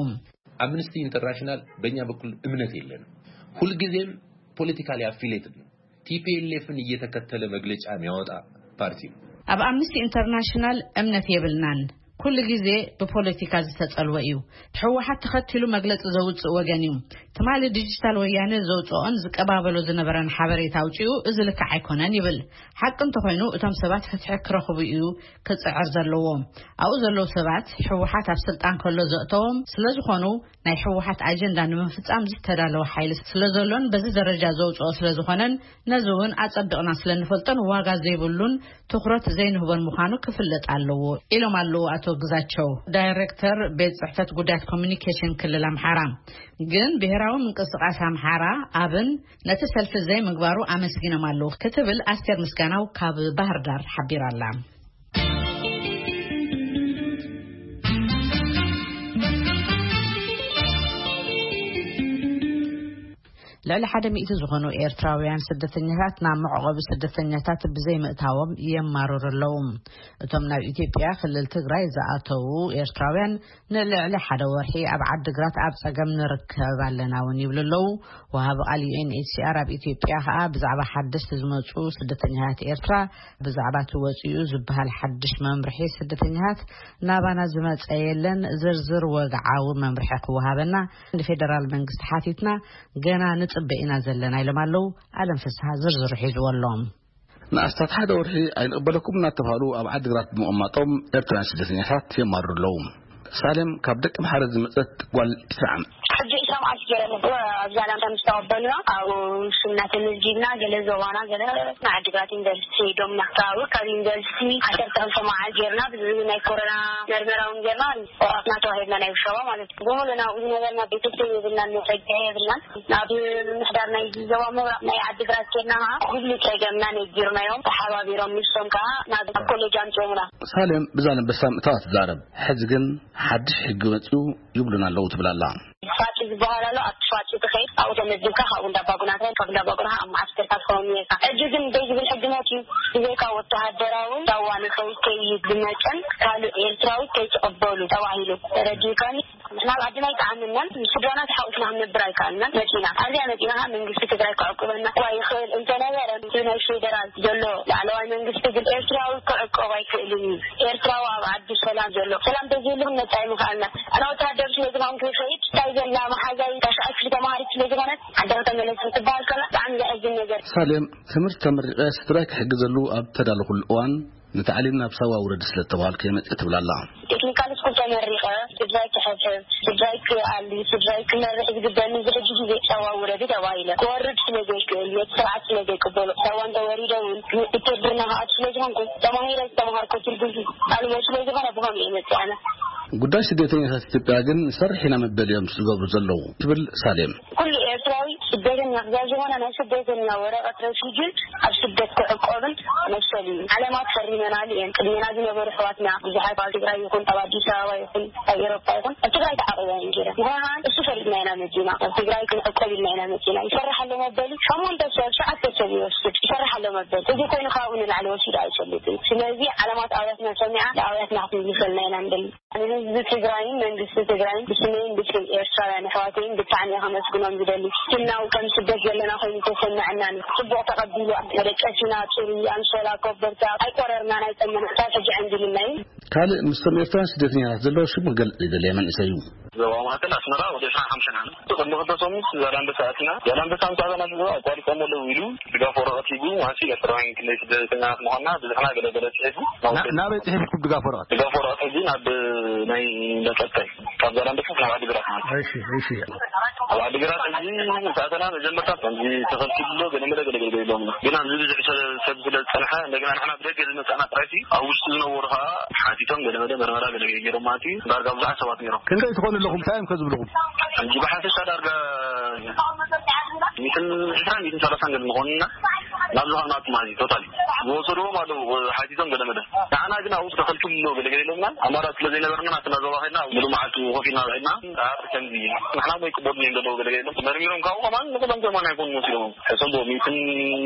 አምነስቲ ኢንተርናሽናል በእኛ በኩል እምነት የለንም። ሁልጊዜም ፖለቲካሊ አፊሌትድ ነው። ቲፒኤልኤፍን እየተከተለ መግለጫ የሚያወጣ ፓርቲ ነው። ኣብ ኣምነስቲ ኢንተርናሽናል እምነት የብልናን። ኩሉ ግዜ ብፖለቲካ ዝተጸልወ እዩ። ህወሓት ተኸቲሉ መግለጺ ዘውጽእ ወገን እዩ። ትማሊ ዲጂታል ወያነ ዘውጽኦን ዝቀባበሎ ዝነበረን ሓበሬታ ኣውጺኡ፣ እዚ ልክዕ ኣይኮነን ይብል። ሓቂ እንተኾይኑ፣ እቶም ሰባት ፍትሒ ክረኽቡ እዩ ክጽዕር ዘለዎ። ኣብኡ ዘለዉ ሰባት፣ ህወሓት ኣብ ስልጣን ከሎ ዘእተዎም ስለ ዝኾኑ፣ ናይ ህወሓት ኣጀንዳ ንምፍጻም ዝተዳለወ ሓይሊ ስለ ዘሎን በዚ ደረጃ ዘውጽኦ ስለ ዝኾነን፣ ነዚ እውን ኣጸቢቕና ስለ ንፈልጦን ዋጋ ዘይብሉን ትኹረት ዘይንህቦን ምዃኑ ክፍለጥ ኣለዎ ኢሎም ኣለዉ ኣቶ ግዛቸው፣ ዳይሬክተር ቤት ጽሕፈት ጉዳያት ኮሚኒኬሽን ክልል ኣምሓራ። ግን ብሄራዊ ምንቅስቃስ ኣምሓራ ኣብን ነቲ ሰልፊ ዘይምግባሩ ኣመስጊኖም ኣለዉ ክትብል ኣስቴር ምስጋናው ካብ ባህር ዳር ሓቢራ ኣላ። ልዕሊ ሓደ ሚእቲ ዝኾኑ ኤርትራውያን ስደተኛታት ናብ መዕቆቢ ስደተኛታት ብዘይ ምእታዎም የማርሩ ኣለዉ። እቶም ናብ ኢትዮጵያ ክልል ትግራይ ዝኣተዉ ኤርትራውያን ንልዕሊ ሓደ ወርሒ ኣብ ዓዲግራት ኣብ ጸገም ንርከብ ኣለና እውን ይብሉ ኣለዉ። ወሃቢ ቃል ዩ ኤን ኤች ሲ ኣር ኣብ ኢትዮጵያ ከኣ ብዛዕባ ሓደሽቲ ዝመጹ ስደተኛታት ኤርትራ፣ ብዛዕባ እቲ ወጺኡ ዝበሃል ሓድሽ መምርሒ ስደተኛታት ናባና ዝመጸ የለን፣ ዝርዝር ወግዓዊ መምርሒ ክወሃበና ንፌደራል መንግስቲ ሓቲትና፣ ገና ንጽበ ኢና ዘለና ኢሎም ኣለዉ። ኣለም ፍስሃ ዝርዝሩ ሒዝዎ ኣሎ። ንኣስታት ሓደ ወርሒ ኣይንቕበለኩም እናተባህሉ ኣብ ዓዲግራት ብምቕማጦም ኤርትራውያን ስደተኛታት የማርሩ ኣለዉ። ሳሌም ካብ ደቂ ምሓረ ዝመጸት ጓል ዕስራ ዓመት። ሕጂ ዕስራ መዓልቲ ገይሮም ኣብዛ ላምታ ምስ ተቐበሉና ኣብኡ ሽምና ተመዝጊብና፣ ገለ ዞባና፣ ገለ ንዓዲግራት ዩኒቨርሲቲ ዶምና። ካብኡ ካብ ዩኒቨርሲቲ ዓሰርተ ክልተ መዓልቲ ገይርና፣ ብዚ ናይ ኮሮና መርመራ እውን ገይርና፣ ቆራትና ተዋሂብና ናይ ውሸባ ማለት እዩ። ብምሉእ ናብኡ ዝነበርና ቤተሰብ የብልናን፣ መጸግዒ የብልናን። ናብ ምምሕዳር ናይ ዞባ ምብራቕ ናይ ዓዲግራት ኬድና ኸዓ ኩሉ ጸገምና ነጊርናዮም፣ ተሓባቢሮም ንሶም ከኣ ናብ ኮሌጅ ኣምጺኦምና። ሳሌም ብዛላምበሳ ምእታዋ ትዛረብ። ሕዚ ግን ሓድሽ ሕጊ መጺኡ ይብሉና ኣለዉ ትብል ኣላ። ፋጺ ዝበሃል ኣሎ፣ ኣብቲ ፋጺ ትኸይድ፣ ኣብኡ ተመዝግብካ ካብኡ እንዳባጉና ትኸይድ፣ ካብ እንዳባጉና ኣብ መዓስከር ካብ ትኸውን ነይርካ። ሕጂ ግን ደይ ዝብል ሕጊ መጺኡ፣ ብዘይካ ወተሃደራዊ ዳዋ ንኸይድ ከይድ ብመጠን ካልእ ኤርትራዊ ከይትቕበሉ ተባሂሉ። ተረዲእካኒ? ናብ ዓድና ኣይጠዓመናን፣ ምስ ስድራና ተሓቑፍና ክንነብር ኣይከኣልናን። መጺና፣ ኣብዚኣ መጺና ኸዓ መንግስቲ ትግራይ ክዕቁበና እኳ ይኽእል እንተነበረ፣ እቲ ናይ ፌደራል ዘሎ ላዕለዋይ መንግስቲ ግን ኤርትራዊ ክዕቆብ ኣይክእልን እዩ። ኤርትራዊ ኣብ ዓዲ ሰላም ዘሎ፣ ሰላም ተዘይሉ ክንመጽእ ኣይምኽኣልና። ኣነ ወተሃደር ስለ ዝኾንኩ ይኸይድ፣ እንታይ ዘላ መሓዛይ ታሽዓይ ክፍሊ ተማሃሪት ስለ ዝኾነት፣ ዓዲ ከተመለስ ክትበሃል ከላ ብጣዕሚ ዘሕዝን ነገር። ሳሌም፣ ትምህርቲ ተመሪቐ ስድራይ ክሕግዘሉ ኣብ ተዳለኹሉ እዋን፣ ንታዕሊም ናብ ሳዋ ውረድ ስለ እተባሃልኩ እየ መጺአ ትብል ኣላ። ቴክኒካል ስኩል ተመሪቐ፣ ስድራይ ክሕብሕብ፣ ስድራይ ክኣሊ፣ ስድራይ ክመርሕ ዝግበኒ፣ እዚ ሕጂ ግዜ ሳዋ ውረዲ ተባሂለ። ክወርድ ስለ ዘይክእል፣ ነቲ ስርዓት ስለ ዘይቅበሎ፣ ሳዋ እንተወሪደ እውን ውትድርና ክኣቱ ስለ ዝኾንኩ፣ ተማሂረ ዝተምሃርኩ ትርጉም ኣለዎ ስለ ዝኾነ፣ ብኸምኡ እየ መጺአ ኣነ። ጉዳይ ስደተኛታት ኢትዮጵያ ግን ንሰርሕ ኢና መበል እዮም ዝገብሩ ዘለዉ ትብል ሳሌም። ኩሉ ኤርትራዊ ስደተኛ ክሳብ ዝኾነ ናይ ስደተኛ ወረቐት ረሲዱን ኣብ ስደት ክዕቆብን መሰሉ እዩ። ዓለማት ፈሪመናሉ እየን። ቅድሜና ዝነበሩ ኣሕዋትና ብዙሓት ኣብ ትግራይ ይኹን ኣብ ኣዲስ ኣበባ ይኹን ኣብ ኤሮፓ ይኹን ኣብ ትግራይ ተዓቂባ እየን ጌረን። ንሕና እሱ ፈሪድና ኢና መጺና። ኣብ ትግራይ ክንዕቆብ ኢልና ኢና መጺና። ይሰርሕ ኣሎ መበሊ ሸሞንተ ሰብ፣ ሸዓተ ሰብ ይወስድ። ይሰርሕ ኣሎ መበሊ። እዚ ኮይኑ ካብኡ ንላዕሊ ወሲዱ ኣይፈልጥን። ስለዚ ዓለማት ኣውያትና ሰሚዓ ንኣውያትና ክትምልሰልና ኢና ንደሊ። ንህዝቢ ትግራይን መንግስቲ ትግራይን ብስመይን ብስም ኤርትራውያን ኣሕዋተይን ብጣዕሚ እየ ከመስግኖም ዝደሊ። ስናው ከም ስደት ዘለና ኮይኑ ተሰምዐናን እዩ። ጽቡቕ ተቐቢሉ መደቀሲና፣ ጽሩይ ኣንሶላ፣ ኮበርታ ኣይቆረርናን ኣይጠመናን። ክሳብ ሕጂ ዕንድልና እዩ። ካልእ ምስቶም ኤርትራውያን ስደተኛታት ዘለዎ ሽሙ ክገልጽ ዘይደለየ መንእሰይ እዩ። ዞባ ማእከል ኣስመራ ወደ ዕስራን ሓሙሽተን ዓመት። ቅድሚ ክልተ ሰሙን ዛላንበሳ ኣቲና። ዛላንበሳ ምስ ኣተና፣ ኣቋሪጾም ኣለዉ ኢሉ ድጋፍ ወረቐት ሂቡ፣ መዓስ ኤርትራውያን ክንደይ ስደተኛታት ምዃንና ብዝሕና ገለ ገለ ጽሒፉ ናብ ና-፣ ናበይ ጽሒፍኩም ድጋፍ ወረቐት? ድጋፍ ወረቐት ሕጂ ናብ ናይ መጸበይ፣ ካብ ዛላንበሳ ናብ ዓዲግራት ማለት እዩ። እሺ፣ እሺ። ኣብ ዓዲግራት ሕጂ ምስ ኣተና መጀመርታ ከምዚ ተኸልኪሉ ኣሎ፣ ገለ መለ ገለ ገለ ገለ ኢሎምና። ግን ኣብዚ ብዙሕ ሰብ፣ ሰብ ስለ ዝጸንሐ፣ እንደገና ንሕና ብደገ ዝመጻና ጥራይሲ፣ ኣብ ውሽጢ ዝነበሩ ኸኣ ሓቲቶም ገለ መለ መርመራ ገለ ገለ ገይሮም ማለት እዩ። ዳርጋ ብዙሓት ሰባት ነይሮም። ክንደይ ትኾኑ ኣለኹም? እንታይ እዮም ከ ዝብልኹም? ሕጂ ብሓፈሻ ዳርጋ ሚእትን ዕስራን ሚእትን ሰላሳን ገለ ንኾንና፣ ናብ ዝኾነ ማለት እዩ፣ ቶታሊ ዝወሰድዎም ኣለዉ፣ ሓቲቶም ገለ መለ። ንዓና ግን ኣብኡ ተኸልኪሉ ኣሎ፣ ገለ ገለ ኢሎምና። ኣማራጺ ስለ ዘይነበረና፣ ናትና ዞባ ኸድና፣ ሙሉእ መዓልቲ ኮፍ ኢልና ውዒልና። እምበኣር ከምዚ እዩ። ንሕና እሞ ይቅበሉና እዮም ዘለዉ፣ ገለ ገለ ኢሎም። መርሚሮም ካብኡ ከማን ንኹሎም ከማን ኣይኮኑን ወሲዶም። ሕሰቦ፣ ሚእትን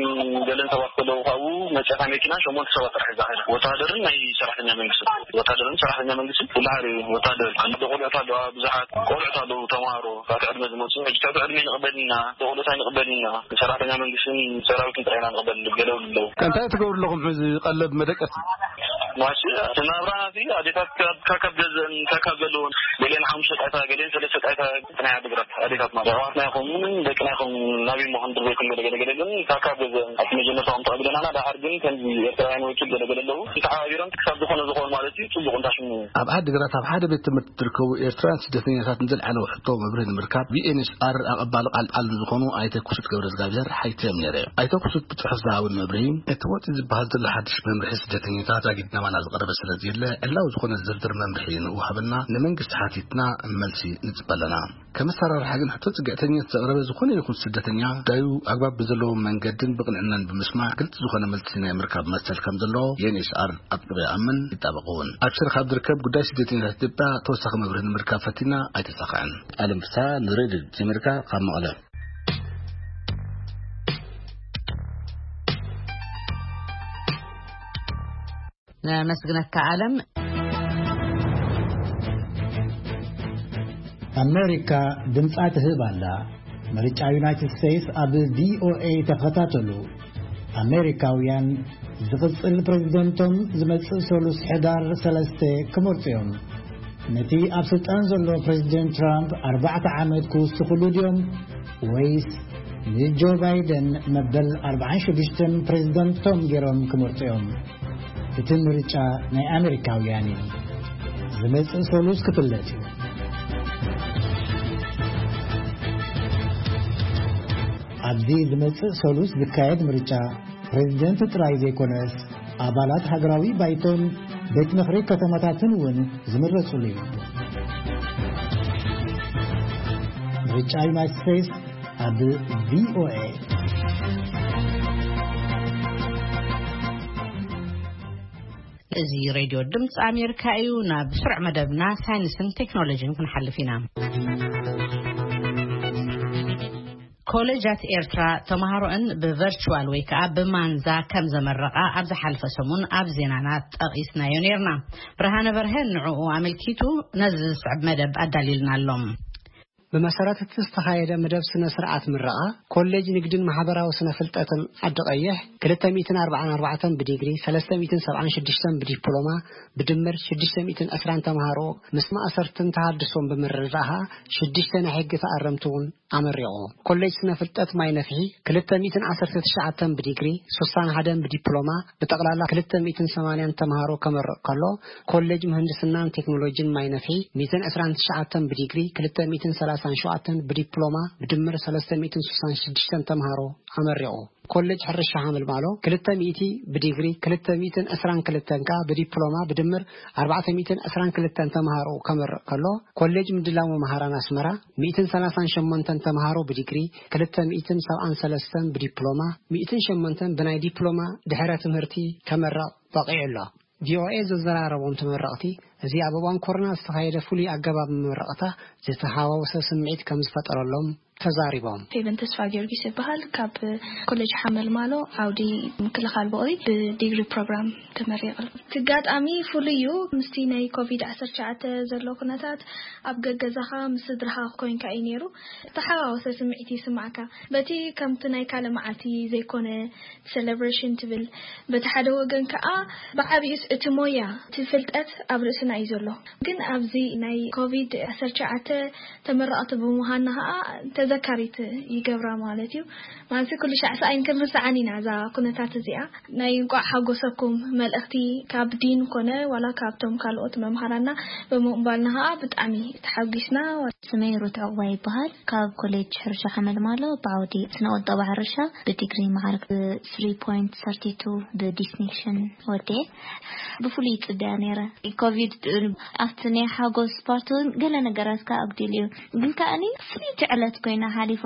ገለን ሰባት ከለዉ ካብኡ መጽያታ መኪና ሸሞንተ ሰባት ጥራሕ ሒዛ ኸይዳ። ወተሃደርን ናይ ሰራሕተኛ መንግስቲ። ወተሃደርን ሰራሕተኛ መንግስቲ ኩሉ ሓደ እዩ። ወተሃደር፣ ኣንድ ቆልዑት ኣለዋ፣ ብዙሓት ቆልዑት ኣለዉ፣ ተምሃሮ፣ ትሕቲ ዕድመ ዝመጹ። ሕጂ ትሕቲ ዕድመ ንቕበል ኢና፣ ቆልዑት ኣይንቕበል ኢና። ሰራሕተኛ መንግስትን ሰራዊትን ጥራሕ ኢና ንቕበል፣ ገለ ኣለዉ። እንታይ ትገብሩ ኣለኹም ሕዚ ቀለብ መደቀሲ? ማሽ፣ እቲ ናብራና እዚ ኣዴታት ካብ፣ ካብ፣ ካብ ገዝአን፣ ካብ፣ ካብ ዘለወን፣ ገሊአን ሓሙሽተ ጣይታ፣ ገሊአን ሰለስተ ጣይታ፣ ናይ ዓዲግራት ኣዴታት ማለት ኣሕዋትና ይኹን ደቅና ይኹን ናበይ ምዃን ድር ዘይኮን ገለ ገለ ገለ ግን ካብ፣ ካብ ገዝአን ኣብቲ መጀመርታ ከም ተቐቢለናና፣ ደሓር ግን ከምዚ ኤርትራውያን ወኪል ገለ ገለ ኣለዉ። ተሓባቢሮም ክሳብ ዝኾነ ዝኾኑ ማለት እዩ፣ ጽቡቕ እንታሽሙ። ኣብ ዓዲግራት ኣብ ሓደ ቤት ትምህርቲ ዝርከቡ ኤርትራውያን ስደተኛታት ንዘልዓለዎ ሕቶ መብርሂ ንምርካብ ቪ ኤን ኤች ኣር ኣቐባሊ ቃል ቃል ዝኾኑ ኣይተ ክሱት ገብረ እግዚኣብሔር ሓቲቶም ነይረ። ኣይተ ክሱት ብጽሑፍ ዝሃቡን መብርሂ፣ እቲ ወጺኡ ዝበሃል ዘሎ ሓድሽ መምርሒ ስደተኛታት ዛጊድ ናባና ዝቐረበ ስለ ዘየለ፣ ዕላዊ ዝኾነ ዝርዝር መምርሒ ንወሃበና ንመንግስቲ ሓቲትና መልሲ ንጽበ ኣለና። ከም ኣሰራርሓ ግን ሕቶ ጽግዕተኝነት ዘቕረበ ዝኾነ ይኹን ስደተኛ ጉዳዩ ኣግባብ ብዘለዎ መንገድን ብቕንዕናን ብምስማዕ ግልጺ ዝኾነ መልሲ ናይ ምርካብ መሰል ከም ዘለዎ ዩ ኤን ኤች ሲ ኣር ኣጥቢቑ ይኣምን፣ ይጣበቕ እውን። ኣብ ሽረ ካብ ዝርከብ ጉዳይ ስደተኛታት ኢትዮጵያ ተወሳኺ መብርሂ ንምርካብ ፈቲና ኣይተሳኽዐን። ኣለም ፍስሃ ንሬድዮ ኣሜሪካ ካብ መቐለ። ነመስግነካ ኣለም። ኣሜሪካ ድምጻ ትህብ ኣላ። ምርጫ ዩናይትድ ስቴትስ ኣብ ቪ ኦ ኤ ተኸታተሉ። ኣሜሪካውያን ዝቕጽል ፕሬዝደንቶም ዝመጽእ ሰሉስ ሕዳር ሰለስተ ክመርጹ እዮም። ነቲ ኣብ ስልጣን ዘሎ ፕሬዝደንት ትራምፕ ኣርባዕተ ዓመት ክውስኽሉ ድዮም ወይስ ንጆ ባይደን መበል ኣርባዓን ሽዱሽተን ፕሬዝደንቶም ገይሮም ክመርጹ እዮም። እቲ ምርጫ ናይ ኣሜሪካውያን እዩ። ዝመጽእ ሰሉስ ክፍለጥ እዩ። ኣብዚ ዝመጽእ ሰሉስ ዝካየድ ምርጫ ፕሬዝደንት ጥራይ ዘይኮነስ ኣባላት ሃገራዊ ባይቶን ቤት ምኽሪ ከተማታትን እውን ዝምረጹሉ እዩ። ምርጫ ዩናይትድ ስቴትስ ኣብ ቪኦኤ። እዚ ሬድዮ ድምፂ ኣሜሪካ እዩ። ናብ ስሩዕ መደብና ሳይንስን ቴክኖሎጂን ክንሓልፍ ኢና። ኮሌጃት ኤርትራ ተምሃሮኣን ብቨርቹዋል ወይ ከዓ ብማንዛ ከም ዘመረቓ ኣብ ዝሓለፈ ሰሙን ኣብ ዜናና ጠቒስናዮ ነይርና። ብርሃነ በርሀ ንዕኡ ኣመልኪቱ ነዚ ዝስዕብ መደብ ኣዳልዩልና ኣሎ። ብመሰረት እቲ ዝተኻየደ መደብ ስነ ስርዓት ምረቓ፣ ኮሌጅ ንግድን ማሕበራዊ ስነ ፍልጠትን ዓዲ ቀይሕ ክልተ ሚእትን ኣርባዓን ኣርባዕተን ብዲግሪ፣ ሰለስተ ሚእትን ሰብዓን ሽዱሽተን ብዲፕሎማ፣ ብድምር ሽዱሽተ ሚእትን ዕስራን ተምሃሮ ምስ ማእሰርትን ተሃድሶን ብምርድዳእ፣ ሽዱሽተ ናይ ሕጊ ተኣረምቲ እውን ኣመሪቑ። ኮሌጅ ስነ ፍልጠት ማይ ነፍሒ ክልተ ሚእትን ዓሰርተ ትሽዓተን ብዲግሪ፣ ሱሳን ሓደን ብዲፕሎማ፣ ብጠቕላላ ክልተ ሚእትን ሰማንያን ተምሃሮ ከመርቕ ከሎ፣ ኮሌጅ ምህንድስናን ቴክኖሎጂን ማይ ነፍሒ ሚእትን ዕስራን ትሽዓተን ብዲግሪ፣ ክልተ ሚእትን ሰላሳን ሸውዓተን ብዲፕሎማ፣ ብድምር ሰለስተ ሚእትን ሱሳን ሽዱሽተን ተምሃሮ ኣመሪቑ። ኮሌጅ ሕርሻ ሓመልማሎ ክልተ ሚእቲ ብዲግሪ፣ ክልተ ሚእትን ዕስራን ክልተን ከኣ ብዲፕሎማ፣ ብድምር ኣርባዕተ ሚእትን ዕስራን ክልተን ተምሃሮ ከመርቕ ከሎ፣ ኮሌጅ ምድላው መምሃራን ኣስመራ ሚእትን ሰላሳን ሸሞንተን ተምሃሮ ብዲግሪ፣ ክልተ ሚእትን ሰብዓን ሰለስተን ብዲፕሎማ፣ ሚእትን ሸሞንተን ብናይ ዲፕሎማ ድሕረ ትምህርቲ ከመርቕ በቒዑ ኣሎ። ቪኦኤ ዘዘራረቦም ተመረቕቲ፣ እዚ ኣብ እዋን ኮሮና ዝተኻየደ ፍሉይ ኣገባብ መመረቕታ ዝተሃዋወሰ ስምዒት ከም ዝፈጠረሎም ተዛሪቦም። ፌቨን ተስፋ ጊዮርጊስ ይበሃል። ካብ ኮሌጅ ሓመልማሎ ዓውዲ ምክልኻል ብቕሪ ብዲግሪ ፕሮግራም ተመሪቐ። እቲ ኣጋጣሚ ፍሉይ እዩ። ምስቲ ናይ ኮቪድ ዓሰርተ ትሽዓተ ዘሎ ኩነታት ኣብ ገገዛኻ ምስ ስድራኻ ኮይንካ እዩ ነይሩ። ተሓዋወሰ ስምዒት ይስማዕካ። በቲ ከምቲ ናይ ካልእ መዓልቲ ዘይኮነ ሴሌብሬሽን ትብል፣ በቲ ሓደ ወገን ከኣ ብዓቢኡስ እቲ ሞያ፣ እቲ ፍልጠት ኣብ ርእስና እዩ ዘሎ። ግን ኣብዚ ናይ ኮቪድ ዓሰርተ ትሽዓተ ተመረቕቲ ብምዃንና ከኣ ተዘካሪት ይገብራ ማለት እዩ። ማለት ኩሉ ሻዕ ሰኣይን ክንርስዓን ኢና እዛ ኩነታት እዚኣ። ናይ እንቋዕ ሓጎሰኩም መልእኽቲ ካብ ዲን ኮነ ዋላ ካብቶም ካልኦት መምሃራና ብምቕባልና ከኣ ብጣዕሚ ተሓጒስና። ስመይ ሩት ዕቑባ ይበሃል። ካብ ኮሌጅ ሕርሻ ሓመልማሎ ብዓውዲ ስነ ቁጠባ ሕርሻ ብዲግሪ መዓርግ ብ ስሪ ፖይንት ሰርቲ ቱ ብዲስቲንክሽን ወዲኤ። ብፍሉይ ይጽበያ ነይረ። ኮቪድ ኣብቲ ናይ ሓጎስ ፓርት እውን ገለ ነገራት ከኣ ኣጉዲሉ እዩ። ግን ከኣኒ ፍልይቲ ዕለት ኮይና ሓሊፋ።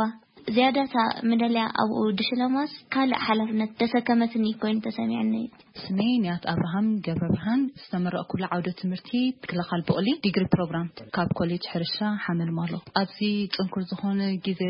ዝያዳታ መደልያ ኣብኡ ድሽለማስ ካልእ ሓላፍነት ደሰከመትኒ ኮይኑ ተሰሚዕኒ። ስመይ ንያት ኣብርሃም ገብረ ብርሃን፣ ዝተመረቕኩሉ ዓውደ ትምህርቲ ምክልኻል ብቕሊ ዲግሪ ፕሮግራም ካብ ኮሌጅ ሕርሻ ሓመልማሎ። ኣብዚ ጽንኩር ዝኾነ ግዜ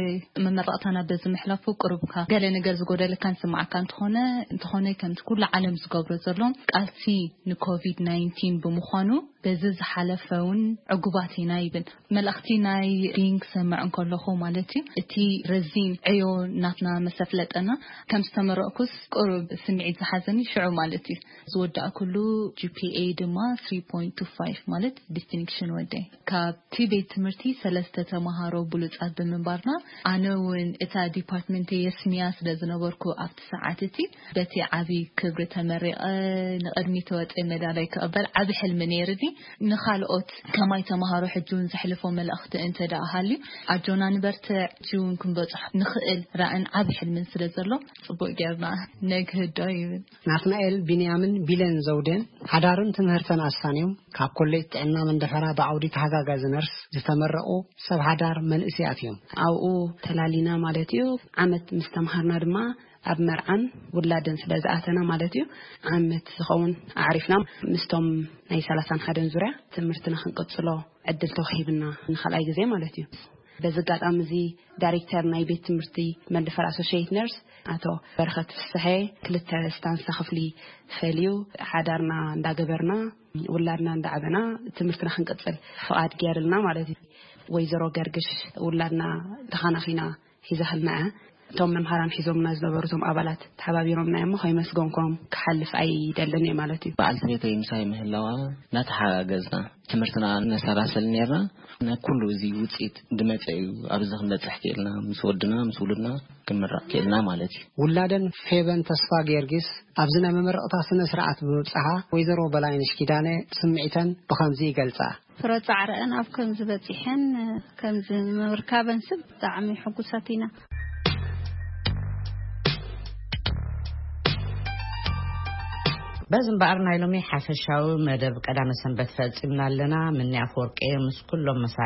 መመረቕታና በዚ ምሕላፉ ቁሩብካ ገለ ነገር ዝጎደለካ ንስምዓካ እንተኾነ፣ እንተኾነ ከምቲ ኩሉ ዓለም ዝገብሮ ዘሎ ቃልሲ ንኮቪድ ናይንቲን ብምዃኑ በዚ ዝሓለፈ እውን ዕጉባት ኢና ይብል። መልእኽቲ ናይ ዲን ክሰምዕ እንከለኹ ማለት እዩ፣ እቲ ረዚን ዕዮ ናትና መሰፍለጠና ከም ዝተመረቕኩስ ቁሩብ ስምዒት ዝሓዘኒ ሽዑ ማለት እዩ። ዝወዳእኩሉ ጂ ፒ ኤ ድማ ስሪ ፖይንት ቱ ፋይቭ ማለት ዲስቲንክሽን ወደይ። ካብቲ ቤት ትምህርቲ ሰለስተ ተምሃሮ ብሉጻት ብምንባርና ኣነ እውን እታ ዲፓርትመንት የስምያ ስለ ዝነበርኩ ኣብቲ ሰዓት እቲ በቲ ዓቢ ክብሪ ተመሪቐ ንቕድሚት ተወፀ መዳላይ ክቕበል ዓቢ ሕልሚ ነይርኒ። ንኻልኦት ከማይ ተምሃሮ ሕጂ እውን ዘሕልፎ መልእኽቲ እንተ ደኣ ሃልዩ ኣጆና ንበርትዕ፣ ሕጂ እውን ክንበፅሖ ንኽእል ራእን ዓቢ ሕልምን ስለ ዘሎ ጽቡቕ ጌርና ነግህዶ ይብል። ናትናኤል ቢንያምን ቢለን ዘውዴን ሓዳርን ትምህርተን ኣሳንዮም ካብ ኮሌጅ ጥዕና መንደፈራ ብዓውዲ ተሓጋጋዚ ነርስ ዝተመረቑ ሰብ ሓዳር መንእሰያት እዮም። ኣብኡ ተላሊና ማለት እዩ። ዓመት ምስ ተምሃርና ድማ ኣብ መርዓን ውላድን ስለ ዝኣተና ማለት እዩ፣ ዓመት ዝኸውን ኣዕሪፍና ምስቶም ናይ ሰላሳን ሓደን ዙርያ ትምህርትና ክንቅጽሎ ዕድል ተዋሂብና ንኻልኣይ ግዜ ማለት እዩ። በዚ ኣጋጣሚ እዚ ዳይሬክተር ናይ ቤት ትምህርቲ መንደፈራ ኣሶሽየት ነርስ ኣቶ በረኸት ፍስሐ ክልተ ስታንሳ ክፍሊ ፈልዩ ሓዳርና እንዳገበርና ውላድና እንዳዓበና ትምህርትና ክንቅጽል ፍቓድ ገይርልና ማለት እዩ። ወይዘሮ ገርግሽ ውላድና ተኻናኺና ሒዛህልና እያ። እቶም መምሃራን ሒዞምና ዝነበሩ እቶም ኣባላት ተሓባቢሮምና እዮም። ከይመስገንኩም ክሓልፍ ኣይደልን እየ ማለት እዩ። በዓልቲ ቤተይ ምሳይ ምህላዋ እናተሓጋገዝና ትምህርትና ነሰላስል ነርና። ናይ ኩሉ እዚ ውፅኢት ድመፀ እዩ ኣብዚ ክንበፅሕ ክእልና፣ ምስ ወድና ምስ ውሉድና ክንምረቕ ክእልና ማለት እዩ። ውላደን ፌበን ተስፋ ጊዮርጊስ ኣብዚ ናይ መመረቕታ ስነ ስርዓት ብምብፅሓ፣ ወይዘሮ በላይነሽ ኪዳነ ስምዒተን ብኸምዚ ይገልፃ። ፍረ ጻዕረአን ኣብ ከምዚ በጺሐን ከምዚ ምርካበን ስብ ብጣዕሚ ሕጉሳት ኢና። በዚ እምበኣር ናይ ሎሚ ሓፈሻዊ መደብ ቀዳመ ሰንበት ፈጺምና ኣለና። ምኒ ኣፈወርቂ ምስ ኩሎም መሳርሕቲ